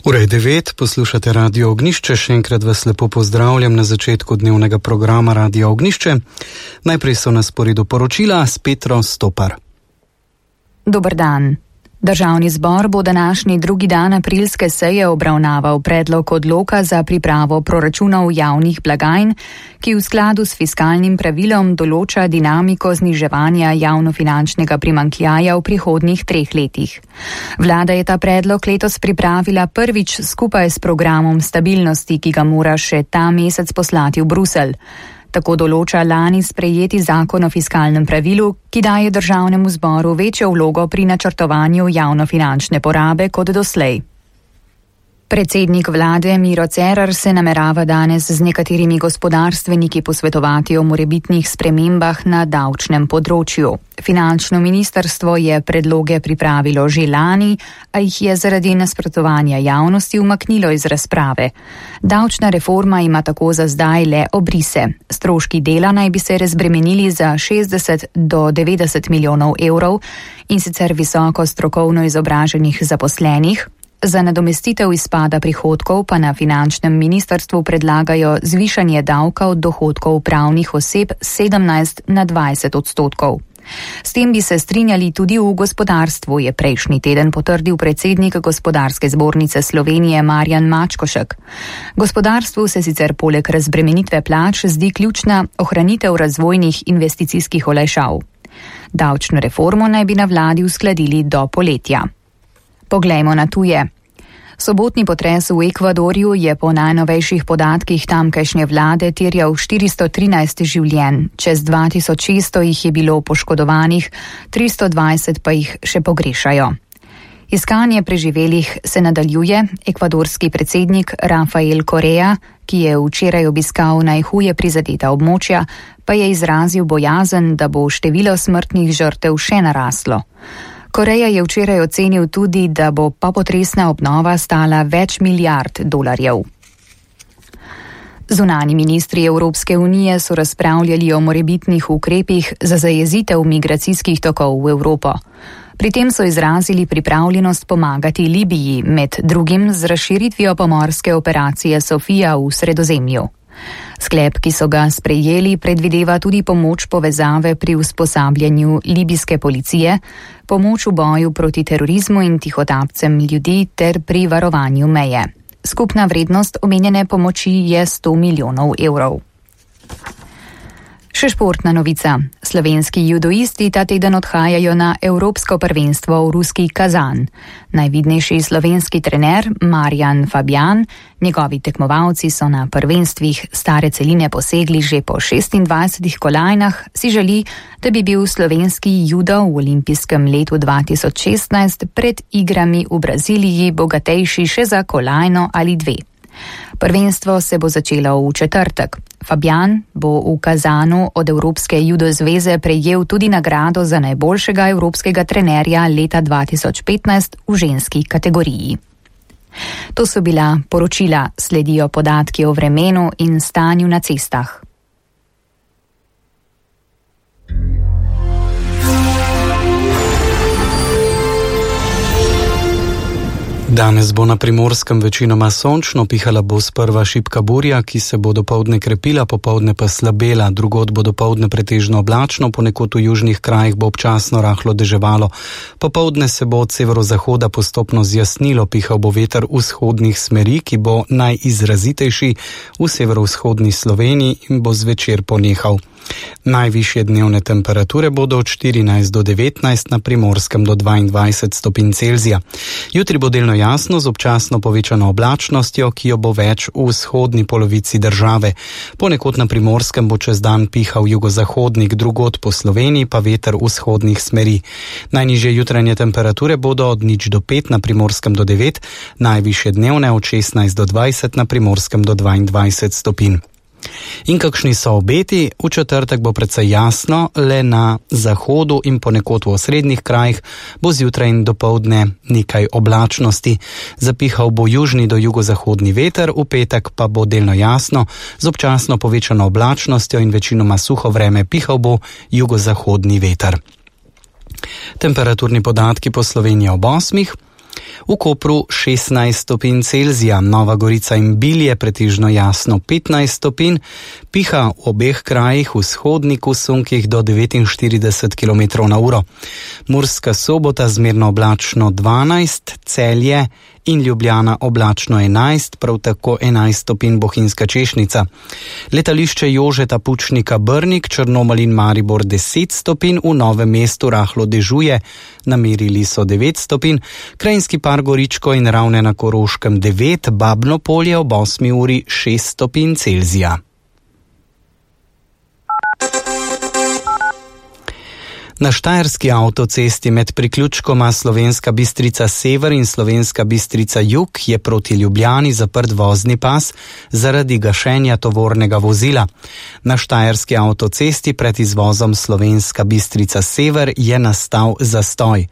Ura je 9, poslušate Radio Ognjišče, še enkrat vas lepo pozdravljam na začetku dnevnega programa Radio Ognjišče. Najprej so na sporedu poročila s Petro Stopar. Dober dan. Državni zbor bo današnji drugi dan aprilske seje obravnaval predlog odloka za pripravo proračunov javnih blagajn, ki v skladu s fiskalnim pravilom določa dinamiko zniževanja javnofinančnega primanjkljaja v prihodnjih 3 letih. Vlada je ta predlog letos pripravila prvič skupaj s programom stabilnosti, ki ga mora še ta mesec poslati v Bruselj. Tako določa lani sprejeti zakon o fiskalnem pravilu, ki daje državnemu zboru večjo vlogo pri načrtovanju javnofinančne porabe kot doslej. Predsednik vlade Miro Cerar se namerava danes z nekaterimi gospodarstveniki posvetovati o morebitnih spremembah na davčnem področju. Finančno ministrstvo je predloge pripravilo že lani, a jih je zaradi nasprotovanja javnosti umaknilo iz razprave. Davčna reforma ima tako za zdaj le obrise. Stroški dela naj bi se razbremenili za 60 do 90 milijonov evrov, in sicer visoko strokovno izobraženih zaposlenih. Za nadomestitev izpada prihodkov pa na finančnem ministrstvu predlagajo zvišanje davka od dohodkov pravnih oseb 17 na 20%. S tem bi se strinjali tudi v gospodarstvu, je prejšnji teden potrdil predsednik Gospodarske zbornice Slovenije Marjan Mačkošek. Gospodarstvu se sicer poleg razbremenitve plač zdi ključna ohranitev razvojnih investicijskih olajšav. Davčno reformo naj bi na vladi uskladili do poletja. Poglejmo na tuje. Sobotni potres v Ekvadorju je po najnovejših podatkih tamkajšnje vlade terjal 413 življenj, čez 2600 jih je bilo poškodovanih, 320 pa jih še pogrešajo. Iskanje preživelih se nadaljuje. Ekvadorski predsednik Rafael Correa, ki je včeraj obiskal najhuje prizadeta območja, pa je izrazil bojazen, da bo število smrtnih žrtev še naraslo. Koreja je včeraj ocenil tudi, da bo popotresna obnova stala več milijard dolarjev. Zunanji ministri Evropske unije so razpravljali o morebitnih ukrepih za zajezitev migracijskih tokov v Evropo. Pri tem so izrazili pripravljenost pomagati Libiji, med drugim z razširitvijo pomorske operacije Sofija v Sredozemlju. Sklep, ki so ga sprejeli, predvideva tudi pomoč povezave pri usposabljanju libijske policije, pomoč v boju proti terorizmu in tihotapcem ljudi ter pri varovanju meje. Skupna vrednost omenjene pomoči je 100 milijonov evrov. Še športna novica. Slovenski judoisti ta teden odhajajo na Evropsko prvenstvo v ruski Kazan. Najvidnejši slovenski trener Marjan Fabjan, njegovi tekmovalci so na prvenstvih stare celine posegli že po 26 kolajnah, si želi, da bi bil slovenski judo v olimpijskem letu 2016 pred igrami v Braziliji bogatejši še za kolajno ali 2. Prvenstvo se bo začelo v četrtek. Fabjan bo v Kazanu od Evropske judo zveze prejel tudi nagrado za najboljšega evropskega trenerja leta 2015 v ženski kategoriji. To so bila poročila, sledijo podatki o vremenu in stanju na cestah. Danes bo na Primorskem večinoma sončno, pihala bo sprva šibka burja, ki se bo dopoldne krepila, popoldne pa slabela, drugod bo dopoldne pretežno oblačno, ponekod v južnih krajih bo občasno rahlo deževalo. Popoldne se bo od severozahoda postopno zjasnilo, pihal bo veter vzhodnih smeri, ki bo najizrazitejši v severovzhodni Sloveniji in bo zvečer ponehal. Najvišje dnevne temperature bodo od 14 do 19, na Primorskem do 22 stopinj Celzija. Jutri bo delno jasno z občasno povečano oblačnostjo, ki jo bo več v vzhodni polovici države. Ponekod na Primorskem bo čez dan pihal jugozahodnik, drugod po Sloveniji pa veter vzhodnih smeri. Najnižje jutranje temperature bodo od 0 do 5, na Primorskem do 9, najvišje dnevne od 16 do 20, na Primorskem do 22 stopinj. In kakšni so obeti? V četrtek bo precej jasno, le na zahodu in ponekod v osrednjih krajih bo zjutraj in dopoldne nekaj oblačnosti. Zapihal bo južni do jugozahodni veter, v petek pa bo delno jasno, z občasno povečano oblačnostjo in večinoma suho vreme, pihal bo jugozahodni veter. Temperaturni podatki po Sloveniji ob 8. V Kopru 16 stopinj Celzija, Nova Gorica in Bilje pretežno jasno 15 stopinj, piha v obeh krajih v vzhodniku sunkih do 49 km/h. Murska Sobota zmerno oblačno 12, Celje in Ljubljana oblačno 11, prav tako 11 stopinj Bohinjska Češnica. Letališče Jožeta Pučnika Brnik, Črnomelj in Maribor 10 stopinj, v Novem mestu rahlo dežuje, namerili so 9 stopinj, Krajinski park Goričko in Ravne na Koroškem 9, Babno Polje ob 8 uri 6 stopinj Celzija. Na štajerski avtocesti med priključkoma Slovenska Bistrica Sever in Slovenska Bistrica Jug je proti Ljubljani zaprt vozni pas zaradi gašenja tovornega vozila. Na štajerski avtocesti pred izvozom Slovenska Bistrica Sever je nastal zastoj.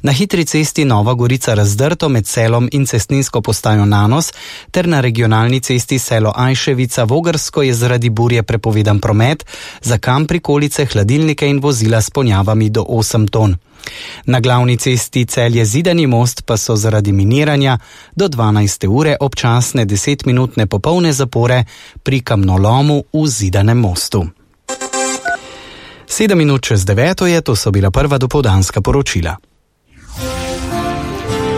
Na hitri cesti Nova Gorica Razdrto med Selom in cestninsko postajo Nanos ter na regionalni cesti Selo Ajševica Vogrsko je zaradi burje prepovedan promet za kam prikolice, hladilnike in vozila s ponjavami do 8 ton. Na glavni cesti Celje Zidani most pa so zaradi miniranja do 12. ure občasne 10-minutne popolne zapore pri kamnolomu v Zidanem mostu. 7 minut čez 9 je, to so bila prva dopoldanska poročila.